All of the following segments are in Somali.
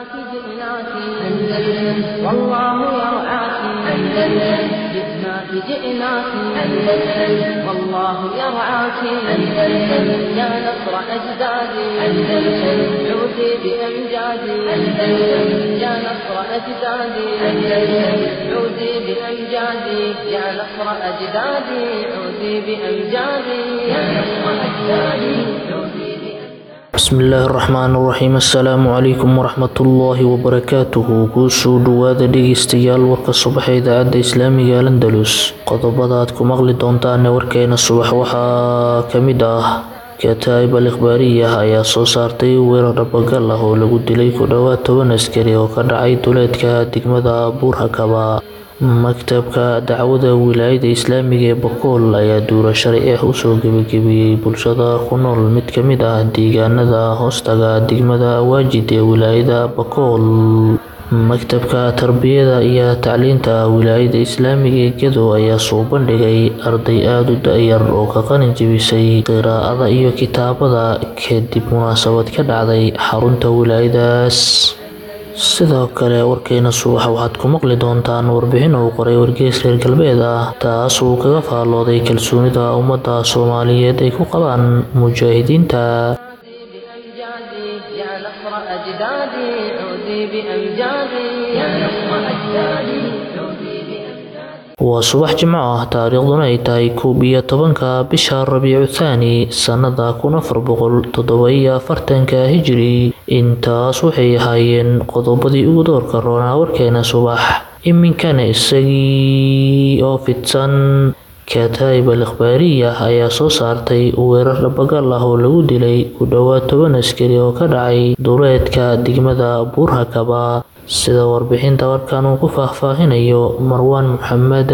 جئناك أندلس والله يرعاك أندلس جئناك جئناك أندلس والله يرعاك أندلس يا نصر أجدادي أندلس عودي بأمجادي أندلس يا نصر أجدادي أندلس عودي بأمجادي يا نصر أجدادي عودي بأمجادي يا نصر أجدادي عودي. Bismillaahi raxmaani raxiim. Assalaamu calaykum waraxmatullaahi wabarakaatuhu. Kusoo dhawaada dhegeystayaal warka subax ee idaacadda islaamiga Al-Andalus. Qodobada aad ku maqli doontaan warkeena subax waxaa ka mid ah: Kataib al-Ikhbaariyah ayaa soo saartay weerar dhabagal ah oo lagu dilay ku dhowaad 10 askari oo ka dhacay duleedka degmada Buurhakaba. Maktabka dacwada wilaayada islaamiga ee Bokool ayaa duura sharci ah usoo gebagabeeyey bulshada ku nool mid ka mid ah deegaanada hoostaga degmada Waajid ee wilaayada Bokool. Maktabka tarbiyada iyo tacliinta wilaayada islaamiga ee Gedo ayaa soo bandhigay arday aad u da'yar oo ka qalin jebisay qiraa'ada iyo kitaabada kadib munaasabad ka dhacday xarunta wilaayadaas. Sidoo kale warkeena subax waxaad ku maqli doontaan warbixin uu qoray wargeys reer galbeed ah, taas uu kaga faallooday kalsoonida ummadda Soomaaliyeed ay ku qabaan mujaahidiinta. بأمجادي يا نصر أجدادي عودي بأمجادي يا نصر أجدادي عودي بأمجادي. Waa subax Jimco ah, taariikhduna ay tahay 11-ka bisha Rabiicu Thaani sannada 1447 Hijri. Intaas waxay ahaayeen qodobadii ugu doorka roonaa warkeena subax. Iminkana isagii oo fidsan. Kataib al-Ikhbaariyah ayaa soo saartay weerar dhabagal ah oo lagu dilay ku dhowaad 10 askari oo ka dhacay duleedka degmada Buurhakaba, sida warbixinta warkan uu ku faahfaahinayo Marwaan Maxamed.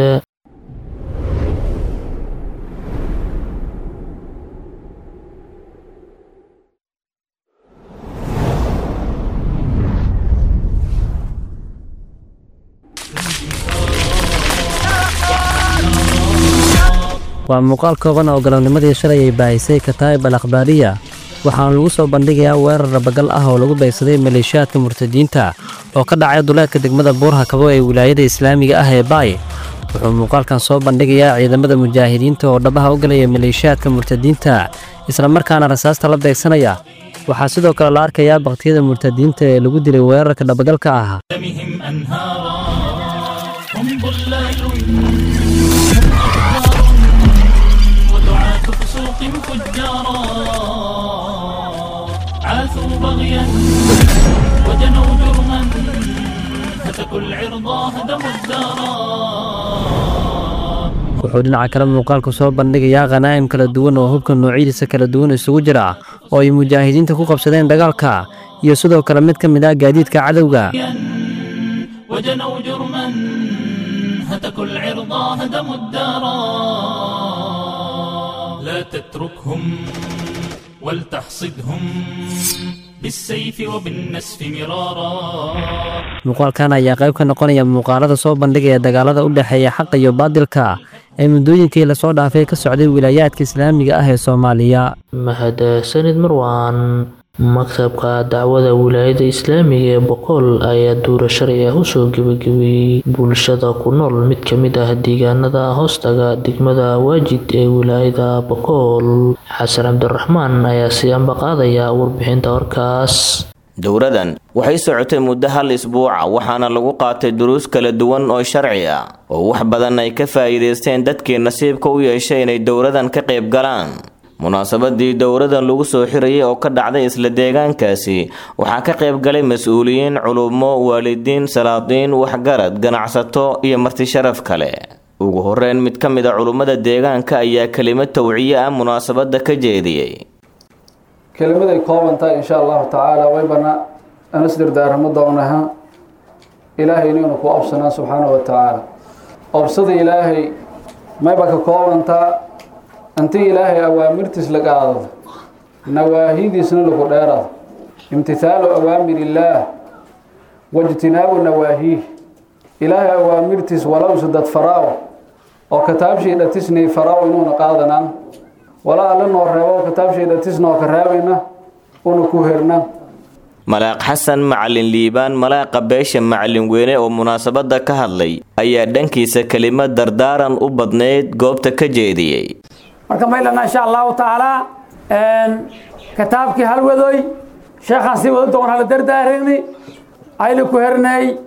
Waa muuqaal kooban oo galabnimadii shalay ay baahisay Kataib al Akhbaariya, waxaana lagu soo bandhigayaa weerar rabagal ah oo lagu beegsaday maleeshiyaadka murtadiinta oo ka dhacay duleedka degmada Buurhakabo ee wilaayada islaamiga ah ee Baay. Wuxuu muuqaalkan soo bandhigayaa ciidamada mujaahidiinta oo dhabaha u galaya maleeshiyaadka murtadiinta, islamarkaana rasaasta la beegsanaya. Waxaa sidoo kale la arkayaa baktiyada murtadiinta ee lagu dilay weerarka dhabagalka ah. دمهم أنهارا هم ضلال ودعاة فسوق فجارا عاثوا بغيا وجنوا جرما هتكوا العرضا هدموا الدارا. Wuxuu dhinaca kale muuqaalku soo bandhigayaa khanaa'im kala duwan oo hubka noocyadiisa kala duwan isugu jira oo ay mujaahidiinta ku qabsadeen dagaalka, iyo sidoo kale mid ka mid ah gaadiidka cadowga. وجنوا جرما هتكوا العرضا هدموا الدارا لا تتركهم ولتحصدهم بالسيف وبالنسف مرارا. Muuqaalkan ayaa qayb ka noqonaya muuqaalada soo bandhigaya dagaalada u dhexeeya xaqa iyo baadilka ee muddooyinkii lasoo dhaafay ka socday wilaayaadka islaamiga ah ee Soomaaliya. Mahadsanid Marwaan. Maktabka dacwada wilaayada islaamiga ee Bokool ayaa duura sharci ah usoo gebagabeeyey bulshada ku nool mid ka mid ah deegaanada hoostaga degmada Waajid ee wilaayada Bokool. Xasan Cabdiraxmaan ayaa sii ambaqaadaya warbixinta warkaas. Dowradan waxay socotay muddo hal isbuuca, waxaana lagu qaatay duruus kala duwan oo sharci ah oo wax badan ay ka faa'iidaysteen dadkii nasiibka u yeeshay inay dowradan ka qayb galaan. Munaasabadii dowradan lagu soo xirayay oo ka dhacday isla deegaankaasi waxaa ka qayb galay mas-uuliyiin, culummo, waalidiin, salaadiin, waxgarad, ganacsato iyo marti sharaf kale. Ugu horeyn, mid ka mid a culummada deegaanka ayaa kelimad tawciye ah munaasabadda ka jeediyey. Kelimaday kooban tahay, insha allahu tacaala, waybana aan isdardaaramo doonaha Ilaahay inaynu ku obsanaa subxaana wa tacaala. Obsada Ilaahay mayba ka koobantaa intii Ilaahay awaamirtiis la qaadado, nawaahidiisna lagu dheerado. Imtithaalu awaamir illaah wajtinaabu nawaahiih. Ilaahay awaamirtiis walowse dad faraaw oo kitaabshii dhatisnay faraaw inuuna qaadanaan, walaa alla noo reebo kitaabshii dhatisnoo ka reebayna una ku herna. Malaaq Xasan Macalin Liibaan, malaaqa beesha Macalin Weyne oo munaasabadda ka hadlay, ayaa dhankiisa kelimad dardaaran u badnayd goobta ka jeediyey. Marka maylana insha Allahu tacaala kitaabkii halwadoy sheekhaan sii wada doon hala dardaarani ayla ku hernay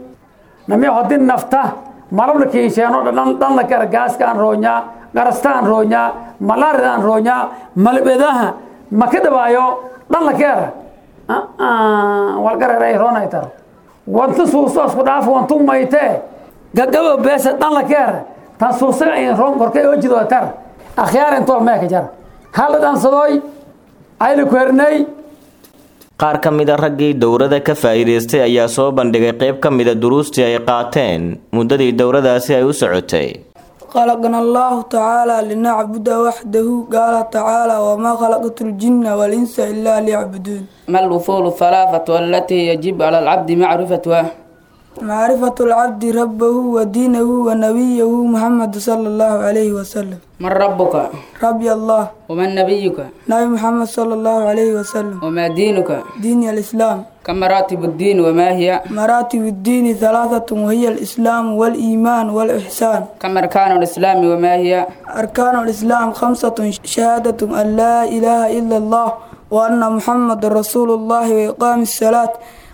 nami hodin nafta malabla kiisheeno dhan dhan la kara gaaska aan roonyaa, garasta aan roonyaa, malaarida aan roonyaa, malbedaha ma ka dhawaayo dhan la keera walgareeray roonay taro wantu suuso isku dhaaf wantu maytee gagabo beesa dhan la keera tan suusaga in roon korkay oo jido tar akhyaar intool meeka jara hala dhansadooy ayla ku hernay. Qaar ka mid a raggii dowrada ka faa'iidaystay ayaa soo bandhigay qayb ka mida duruustii ay qaateen muddadii dowradaasi ay u socotay. خلقنا الله تعالى لنعبد وحده. قال تعالى: وما خلقت الجن والإنس إلا ليعبدون. ما الأصول الثلاثة التي يجب على العبد معرفتها؟ معرفة العبد ربه ودينه ونبيه محمد صلى الله عليه وسلم. من ربك؟ ربي الله. ومن نبيك؟ نبي محمد صلى الله عليه وسلم. وما دينك؟ دين الإسلام. كم مراتب الدين وما هي؟ مراتب الدين ثلاثة، وهي الإسلام والإيمان والإحسان. كم أركان الإسلام وما هي؟ أركان الإسلام خمسة: شهادة أن لا إله إلا الله وأن محمد رسول الله، وإقام الصلاة،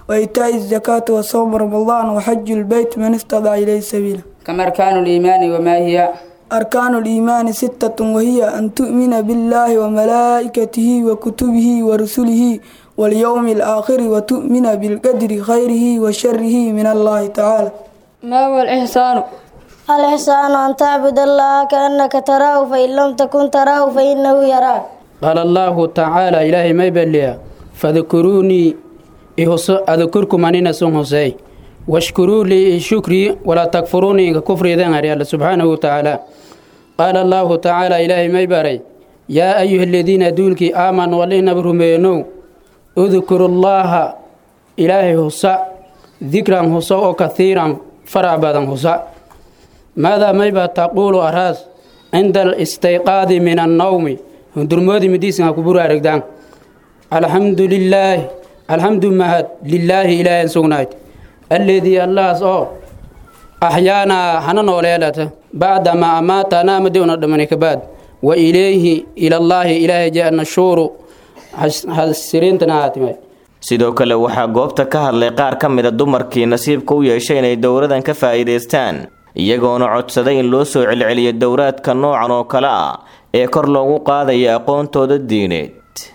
وإيتاء الزكاة، وصوم رمضان، وحج البيت من استطاع إليه سبيلا. كم أركان الإيمان وما هي؟ أركان الإيمان ستة، وهي أن تؤمن بالله وملائكته وكتبه ورسله واليوم الآخر، وتؤمن بالقدر خيره وشره من الله تعالى. ما هو الإحسان؟ الإحسان أن تعبد الله كأنك تراه، فإن لم تكن تراه فإنه يراك. قال الله تعالى: إلهي ما يبليا فاذكروني أذكركم أننا سن حسي، واشكروا لي شكري ولا تكفروني كفري ذن الله سبحانه وتعالى. قال الله تعالى: إلهي ما يباري يا أيها الذين دولك آمنوا ولينا برمينو اذكروا الله إلهي حسا ذكرا حسا كثيرا فرعبا حسا. ماذا ما يبا تقول أراس عند الاستيقاظ من النوم؟ درمودي مديسن كبر أرقدان. الحمد لله، الحمد مهد لله إله سغنايت الذي الله سو أحيانا حنن وليلته بعدما أماتنا مدينة دمنك بعد، وإليه إلى الله إله جاء النشور حسرين تناتمي. Sidoo kale waxaa goobta ka hadlay qaar ka mida dumarkii nasiibka u yeeshay inay dowradan ka faa'iidaystaan, iyagoona codsaday in loo soo celceliyo dowraadka noocan oo kale ah ee kor loogu qaadayo aqoontooda diineed.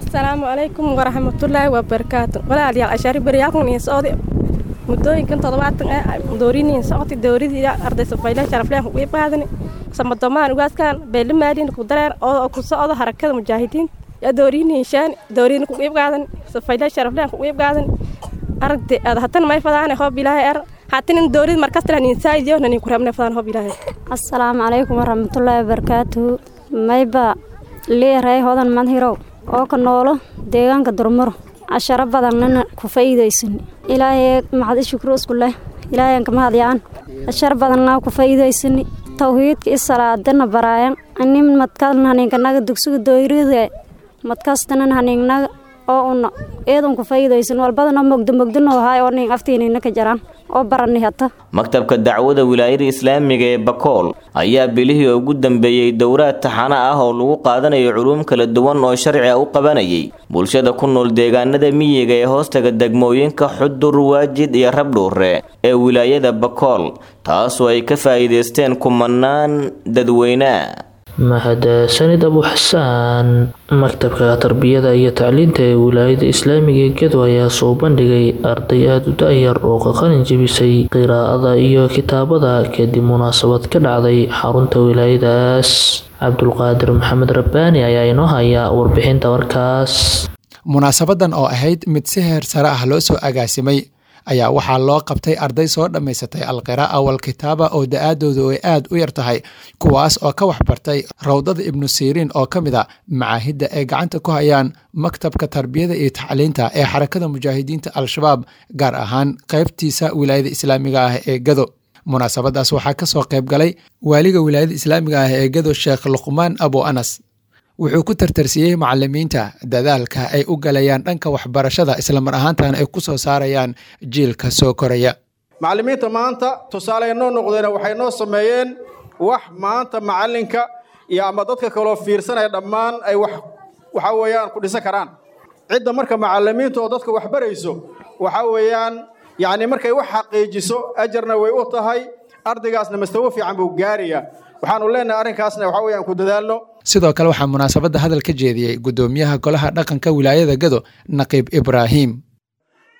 Asalaamu calaykum waraxmatullaahi wabarakaatu. Walaalayaal, cashaari baryaalkan iyo socday muddooyinkan 70 ah dooriniin socotay dowradii arday safayla sharafleen ku qaadan samadomaan ugaaskan beelimaadin ku dareer oo ku socdo harakada mujaahidiin ya dooriniin shan doorin ku qeyb qaadan safayla sharafleen ku qeyb qaadan aragtay aad hatan may fadaan hoob ilaahay ar hatan in doorid markas tan insaayiyo nan ku rabna fadaan hoob ilaahay. Assalaamu calaykum waraxmatullaahi wabarakaatu. Mayba leeyahay hodan manhirow oo ka noolo deegaanka Durmaro, casharo badanna ku faa'iideysan. Ilaahay mahad shukru isku leh, ilaahay ka mahadiyaan cashar badanna ku faa'iideysan, tawxiidka iyo salaadana baraayan anim madkalna haninka naga dugsiga dooyrida madkastana haninnaga oo una eedan ku faa'iideysan walbadana mogdo mogdano hay oo nin aftiinina ka jaraan oo baranay hata. Maktabka dacwada wilaayada islaamiga ee Bakool ayaa bilihii ugu dambeeyey dowraad taxano ah oo lagu qaadanayo culuum kala duwan oo sharci ah u qabanayay bulshada ku nool deegaanada miyiga ee hoostaga degmooyinka Xudur, Waajid iyo Rabdhuure ee wilaayada Bakool, taasoo ay ka faa'iidaysteen kumanaan dadweyne. Mahadsanid Abu Xasaan. Maktabka tarbiyada iyo tacliinta ee wilaayada islaamiga ee Gedo ayaa soo bandhigay arday aada u da-yar oo ka qalin jebisay qiraa'ada iyo kitaabada kadib munaasabad ka dhacday xarunta wilaayadaas. Cabdulqaadir Maxamed Rabbaani ayaa inoo haya warbixinta warkaas. Munaasabadan oo ahayd mid si heer sare ah loo soo agaasimay ayaa waxaa loo qabtay arday soo dhammaysatay alqiraa'a walkitaaba oo da-aadoodu ay aad u yar tahay, kuwaas oo ka waxbartay rawdada Ibnu Siriin oo ka mid a macaahidda ay gacanta ku hayaan maktabka tarbiyada iyo tacliinta ee xarakada mujaahidiinta Al-Shabaab, gaar ahaan qaybtiisa wilaayada islaamiga ah ee Gado. Munaasabadaas waxaa ka soo qayb galay waaliga wilaayada islaamiga ah ee Gado, Sheekh Luqmaan Abu Anas, Wuxuu ku tartarsiyey macalimiinta dadaalka ay u galayaan dhanka waxbarashada, islamar ahaantana ay ku soo saarayaan jiilka soo koraya. Macallimiinta maanta tusaale ay noo noqdeen, waxay noo sameeyeen wax maanta macallinka iyo ama dadka kaloo fiirsanaya dhammaan ay wax waxa weeyaan ku dhisan karaan. Cidda marka macallimiinta oo dadka wax barayso, waxa weeyaan yacni markay wax xaqiijiso, ajarna way u tahay, ardaygaasna mastawo fiican buu gaarayaa. Waxaanu leenahay arrinkaasna waxa weeyaan ku dadaalno. Sidoo kale waxaa munaasabadda hadal ka jeediyey guddoomiyaha golaha dhaqanka wilaayada Gado, Naqiib Ibraahim.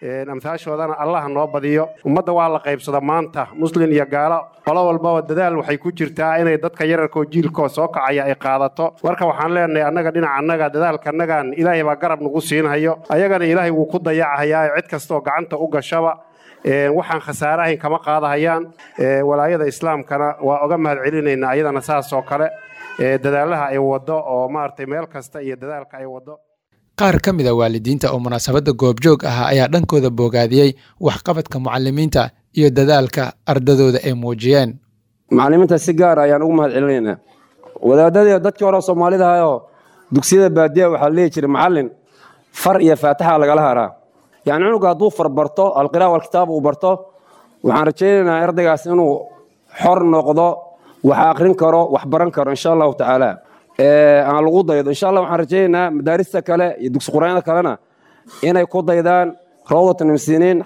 Amhaashoodana Allah noo badiyo. Ummadda waa la qaybsada maanta, muslin iyo gaalo, qolo walbaba dadaal waxay ku jirtaa inay dadka yararkoo jiilkoo soo kacaya ay qaadato. Marka waxaan leenahay annaga dhinaca annaga dadaalkanagan Ilaahay baa garab nagu siinhayo, ayagana Ilaahay wuu ku dayacahayaa. Cid kastaoo gacanta u gashaba waxaan khasaarahayn kama qaadahayaan. Walaayada islaamkana waa oga mahad celinaynaa ayadana saas oo kale dadaalaha ay waddo oo maaragtay meel kasta iyo dadaalka ay waddo. Qaar ka mid a waalidiinta oo munaasabadda goobjoog ahaa ayaa dhankooda boogaadiyey waxqabadka mucalimiinta iyo dadaalka ardadooda ay muujiyeen. Macallimiinta si gaar ayaan ugu mahad celinaynaa. Wadaadadii dadkii hore Soomaalida ahayoo dugsiyada baadiyaha waxaa leeyi jiray macallin far iyo faataxa lagala haraa. Yacni cunuga hadduu far barto, alqiraa walkitaab uu barto, waxaan rajaynaynaa ardaygaas inuu xor noqdo, wax aqrin karo, wax baran karo, insha Allahu tacaala. Aan lagu daydo, insha Allah. Waxaan rajaynaynaa madaarista kale iyo dugsi quraanada kalena inay ku daydaan Rawdatan Imsiniin,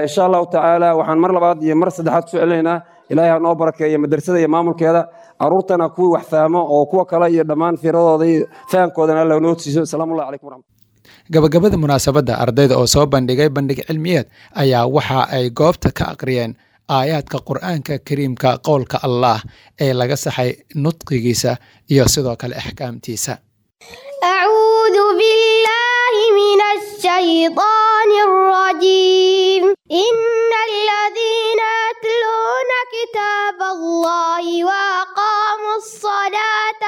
insha Allahu tacaala. Waxaan mar labaad iyo mar saddexaad kusoo celinaynaa, Ilaahay ha noo barakeeyo madrasada iyo maamulkeeda, caruurtana kuwii wax fahmo oo kuwa kale iyo dhammaan fiiradooda iyo fahamkoodana Alla noo siiso. Asalaamu calaykum waraxmat. Gabagabada munaasabadda, ardayda oo soo bandhigay bandhig cilmiyeed ayaa waxa ay goobta ka aqriyeen aayaadka Qur-aanka Kariimka, qowlka Allah ee laga saxay nudqigiisa iyo sidoo kale axkaamtiisa. أعوذ بالله من الشيطان الرجيم. إن الذين يتلون كتاب الله وأقاموا الصلاة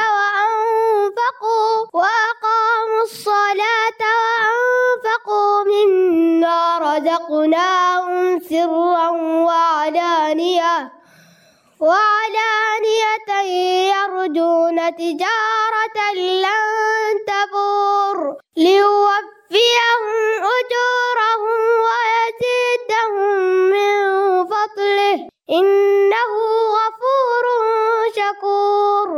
وأنفقوا مما رزقناهم سرا وعلانية يرجون تجارة لن تبور ليوفيهم أجورهم ويزيدهم من فضله إنه غفور شكور.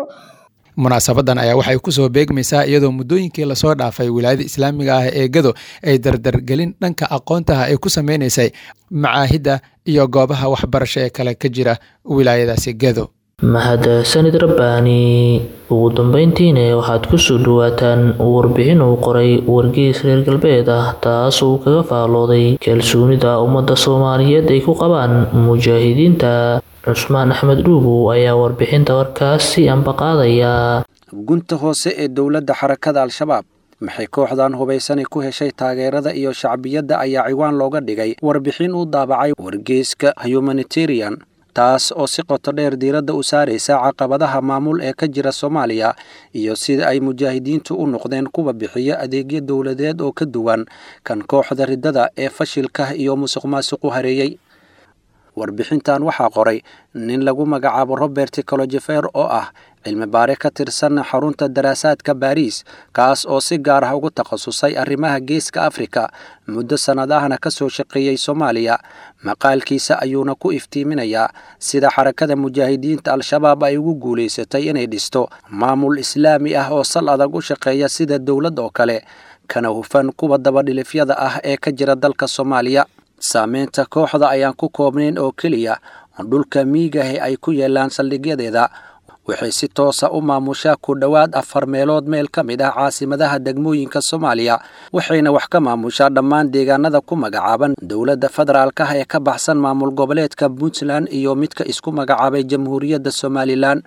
Munaasabadan ayaa waxay ku soo beegmaysaa iyadoo muddooyinkii lasoo dhaafay wilaayada islaamiga ah ee Gado ay dardargelin dhanka aqoontaha ay ku sameynaysay macaahidda iyo goobaha waxbarasho ee kale ka jira wilaayadaasi Gado. Mahadsanid Rabbaani. Ugu dambeyntiina waxaad kusoo dhawaataan warbixin uu qoray wargeys reer galbeed ah, taas uu kaga faalooday kalsoonida ummadda Soomaaliyeed ay ku qabaan mujaahidiinta. Cusmaan Axmed Dhuubow ayaa warbixinta warkaas si ambaqaadaya. Gunta hoose ee dowladda xarakada Al-Shabaab, maxay kooxdan hubaysani ku heshay taageerada iyo shacbiyadda, ayaa ciwaan looga dhigay warbixin uu daabacay wargeyska Humanitarian, taas oo si qoto dheer diiradda u saaraysa caqabadaha maamul ee ka jira Soomaaliya iyo sida ay mujaahidiintu u noqdeen kuwa bixiya adeegyo dowladeed oo ka duwan kan kooxda riddada ee fashilka iyo musuqmaasuqu hareeyey. Warbixintan waxaa qoray nin lagu magacaabo Robert Colojefer oo ah cilmi baare ka tirsan xarunta daraasaadka Baariis, kaas oo si gaar ah ugu takhasusay arrimaha Geeska Afrika, muddo sannad ahna ka soo shaqeeyey Soomaaliya. Maqaalkiisa ayuuna ku iftiiminayaa sida xarakada mujaahidiinta Al-Shabaab ay ugu guulaysatay inay dhisto maamul islaami ah oo sal adag u shaqeeya sida dowlad oo kale, kana hufan kuwa dabadhilifyada ah ee ka jira dalka Soomaaliya. Saameynta kooxda ayaan ku koobnayn oo keliya dhulka miigahe ay ku yeelaan saldhigyadeeda. Waxay si toosa u maamushaa ku dhowaad 4 meelood meel ka mid ah caasimadaha degmooyinka Soomaaliya, waxayna wax ka maamushaa dhammaan deegaanada ku magacaaban dowladda federaalka ah ee ka baxsan maamul goboleedka Puntland iyo midka isku magacaabay Jamhuuriyadda Somalilan.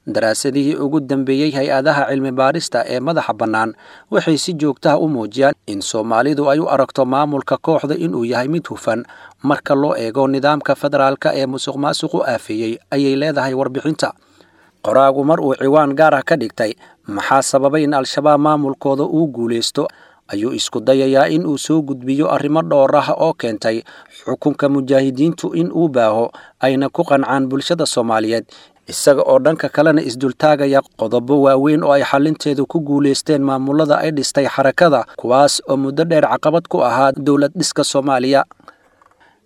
Daraasadihii ugu dambeeyey hay-adaha cilmi baarista ee madaxa bannaan waxay si joogtaha u muujiyaan in Soomaalidu ay u aragto maamulka kooxda inuu yahay mid hufan marka loo eego nidaamka federaalka ee musuqmaasuqu aafeeyey, ayay leedahay warbixinta. Qoraagu mar uu ciwaan gaar ah ka dhigtay maxaa sababay in Al-Shabaab maamulkooda uu guulaysto, ayuu isku dayayaa in uu soo gudbiyo arrimo dhowr ah oo keentay xukunka mujaahidiintu in uu baaho ayna ku qancaan bulshada Soomaaliyeed, Isaga oo dhanka kalena isdultaagaya qodobo waaweyn oo ay xalinteedu ku guulaysteen maamulada ay dhistay xarakada, kuwaas oo muddo dheer caqabad ku ahaa dowlad dhiska Soomaaliya.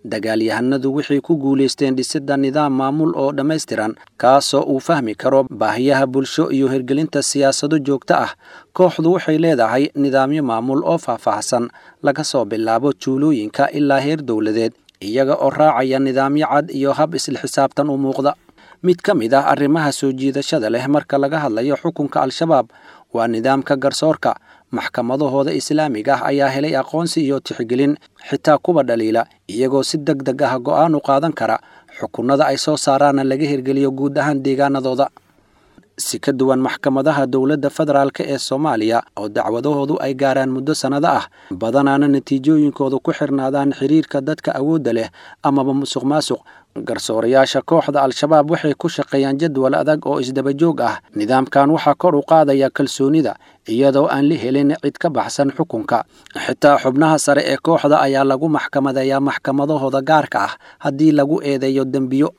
Dagaalyahanadu waxay ku guulaysteen dhisidda nidaam maamul oo dhammaystiran, kaasoo uu fahmi karo baahiyaha bulsho iyo hirgelinta siyaasado joogto ah. Kooxdu waxay leedahay nidaamyo maamul oo faahfaahsan, laga soo bilaabo tuulooyinka ilaa heer dowladeed, iyaga oo raacaya nidaamyo cad iyo hab isla xisaabtan u muuqda. Mid ka mid ah arrimaha soo jiidashada leh marka laga hadlayo xukunka Al-Shabaab waa nidaamka garsoorka. Maxkamadahooda islaamiga ah ayaa helay aqoonsi iyo tixgelin, xitaa kuwa dhaliila, iyagoo si deg deg ah go'aan u qaadan kara, xukunnada ay soo saaraana laga hirgeliyo guud ahaan deegaanadooda. Si ka duwan maxkamadaha dowladda federaalk ee Soomaaliya oo dacwadahoodu ay gaaraan muddo sannado ah, badanaana natiijooyinkoodu ku xirnaadaan xiriirka dadka awoodda leh amaba musuq maasuq, garsoorayaasha kooxda Al-Shabaab waxay ku shaqeeyaan jadwal adag oo isdaba joog ah. Nidaamkan waxaa kor u qaadaya kalsoonida, iyadoo aan la helin cid ka baxsan xukunka. Xitaa xubnaha sare ee kooxda ayaa lagu maxkamadeeyaa maxkamadahooda gaarka ah haddii lagu eedeeyo dembiyo.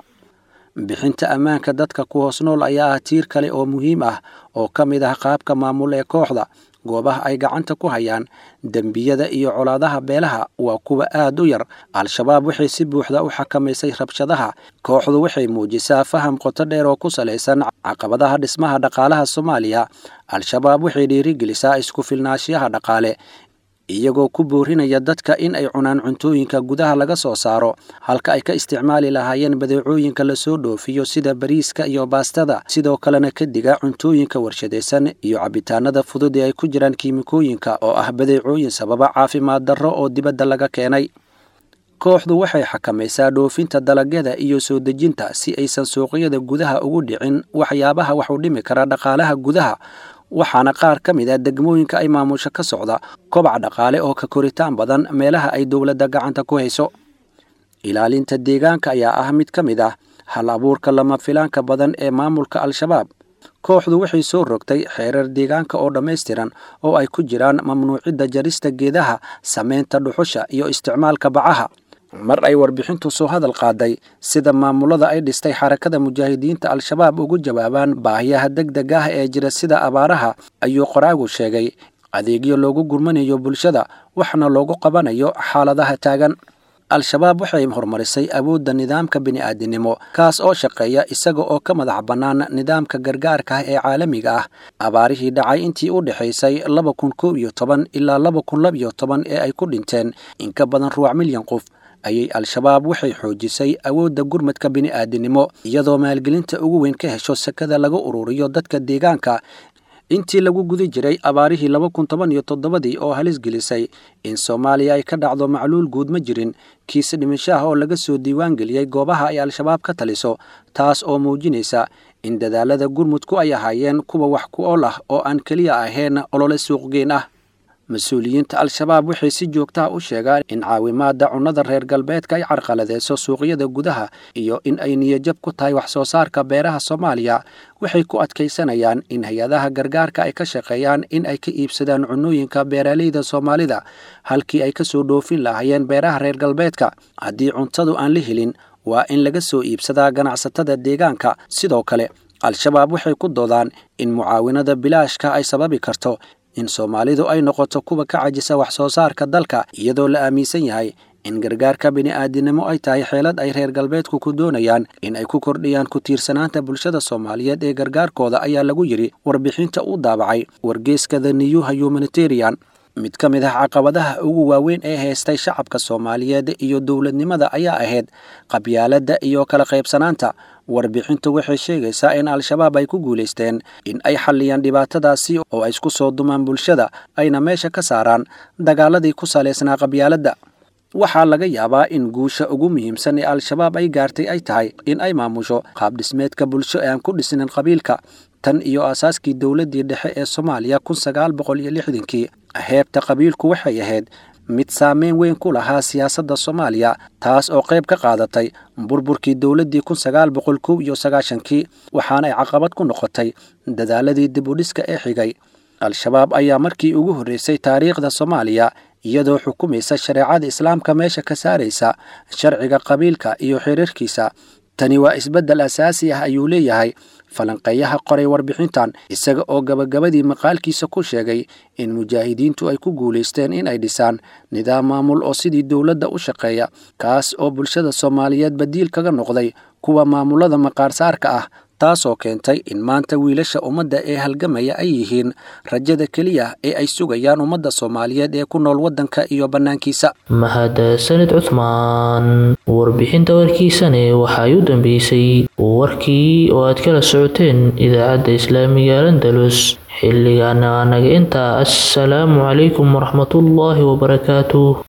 Bixinta ammaanka dadka ku hoos nool ayaa ah tiir kale oo muhiim ah oo ka mid ah qaabka maamul ee kooxda. Goobaha ay gacanta ku hayaan, dembiyada iyo colaadaha beelaha waa kuwa aad u yar. Al-Shabaab waxay si buuxda u xakamaysay rabshadaha. Kooxdu waxay muujisaa faham qoto dheer oo ku salaysan caqabadaha dhismaha dhaqaalaha Soomaaliya. Al-Shabaab waxay dhiirigelisaa isku filnaanshiyaha dhaqaale, iyagoo ku boorinaya dadka in ay cunaan cuntooyinka gudaha laga soo saaro halka ay ka isticmaali lahaayeen badeecooyinka lasoo dhoofiyo sida bariiska iyo baastada. Sidoo kalena ka diga cuntooyinka warshadaysan iyo cabitaanada fudud ee ay ku jiraan kiimikooyinka, oo ah badeecooyin sababa caafimaad darro oo dibadda laga keenay. Kooxdu waxay xakamaysaa dhoofinta dalagyada iyo soo dejinta si aysan suuqyada gudaha ugu dhicin waxyaabaha wax u dhimi kara dhaqaalaha gudaha, waxaana qaar ka mid ah degmooyinka ay maamusho ka socda kobac dhaqaale oo ka koritaan badan meelaha ay dowladda gacanta ku hayso. Ilaalinta deegaanka ayaa ah mid ka mid ah hal abuurka lama filaanka badan ee maamulka Al-Shabaab. Kooxdu waxay soo rogtay xeerar deegaanka oo dhammaystiran, oo ay ku jiraan mamnuucidda jarista geedaha, samaynta dhuxusha iyo isticmaalka bacaha. Mar ay warbixintu soo hadal qaaday sida maamulada ay dhistay Xarakada Mujaahidiinta Al-Shabaab ugu jawaabaan baahiyaha degdeg ah ee jira sida abaaraha, ayuu qoraagu sheegay adeegyo loogu gurmanayo bulshada, waxna loogu qabanayo xaaladaha taagan. Al-Shabaab waxay horumarisay awoodda nidaamka bini'aadinimo, kaas oo shaqeeya isaga oo ka madax bannaan nidaamka gargaarka ah ee caalamiga ah. Abaarihii dhacay intii u dhexaysay 2011 ilaa 2012 ee ay ku dhinteen in ka badan ruwac milyan qof ayay Al-Shabaab waxay xoojisay awoodda gurmadka bini'aadinimo, iyadoo maalgelinta ugu weyn ka hesho sakada laga ururiyo dadka deegaanka. Intii lagu guda jiray abaarihii 2017-dii oo halis gelisay in Soomaaliya ay ka dhacdo macluul guud, ma jirin kiis dhimasho ah oo laga soo diiwaan geliyey goobaha ay Al-Shabaab ka taliso, taas oo muujinaysa in dadaalada gurmudku ay ahaayeen kuwa wax ku ool ah oo aan keliya ahayn olole suuqgeyn ah. Mas-uuliyiinta Al-Shabaab waxay si joogtaha u sheegaan in caawimaadda cunnada reer galbeedka ay carqaladeyso suuqyada gudaha iyo in ay niyajab ku tahay wax soo saarka beeraha Soomaaliya. Waxay ku adkaysanayaan in hay-adaha gargaarka ay ka shaqeeyaan in ay ka iibsadaan cunnooyinka beeraleyda Soomaalida halkii ay ka soo dhoofin lahaayeen beeraha reer galbeedka. Haddii cuntadu aan la helin, waa in laga soo iibsadaa ganacsatada deegaanka. Sidoo kale, Al-Shabaab waxay ku doodaan in mucaawinada bilaashka ay sababi karto in Soomaalidu ay noqoto kuwa ka cajisa wax soo saarka dalka, iyadoo la aaminsan yahay in gargaarka bini'aadinimo ay tahay xeelad ay reer galbeedku ku doonayaan in ay ku kordhiyaan ku tiirsanaanta bulshada Soomaaliyeed ee gargaarkooda, ayaa lagu yidhi warbixinta uu daabacay wargeyska The New Humanitarian. Mid ka mid ah caqabadaha ugu waaweyn ee haystay shacabka Soomaaliyeed iyo dowladnimada ayaa ahayd qabyaaladda iyo kala qaybsanaanta. Warbixintu waxay sheegaysaa in Al-Shabaab ay ku guulaysteen in ay xalliyaan dhibaatadaasi oo ay isku soo dumaan bulshada, ayna meesha ka saaraan dagaaladii ku salaysnaa qabyaaladda. Waxaa laga yaabaa in guusha ugu muhiimsan ee Al-Shabaab ay gaartay ay tahay in ay maamusho qaab dhismeedka bulsho ee aan ku dhisnin qabiilka. Tan iyo aasaaskii dowladdii dhexe ee Soomaaliya 1960-kii, heebta qabiilku waxay ahayd mid saameyn weyn ku lahaa siyaasadda Soomaaliya, taas oo qayb ka qaadatay burburkii dowladdii 1991-kii, waxaana ay caqabad ku noqotay dadaaladii dib u dhiska ee xigay. Al-Shabaab ayaa markii ugu horreysay taariikhda Soomaaliya, iyadoo xukumaysa shareecada Islaamka, meesha ka saaraysa sharciga qabiilka iyo xiriirkiisa. Tani waa isbeddel asaasi ah, ayuu leeyahay falanqeeyaha qoray warbixintan, isaga oo gabagabadii maqaalkiisa ku sheegay in mujaahidiintu ay ku guulaysteen in ay dhisaan nidaam maamul oo sidii dowladda u shaqeeya, kaas oo bulshada Soomaaliyeed badiil kaga noqday kuwa maamulada maqaarsaarka ah, taasoo keentay in maanta wiilasha ummadda ee halgamaya ay yihiin rajada keliya ee ay sugayaan ummadda Soomaaliyeed ee ku nool waddanka iyo bannaankiisa. Mahadsanid Cuthmaan. Warbixinta warkiisane waxay u dambeysay warkii oo aad kala socoteen idaacadda islaamiga Andalus. Xilligaana naga intaa. Assalaamu calaykum waraxmatullaahi wabarakaatuh.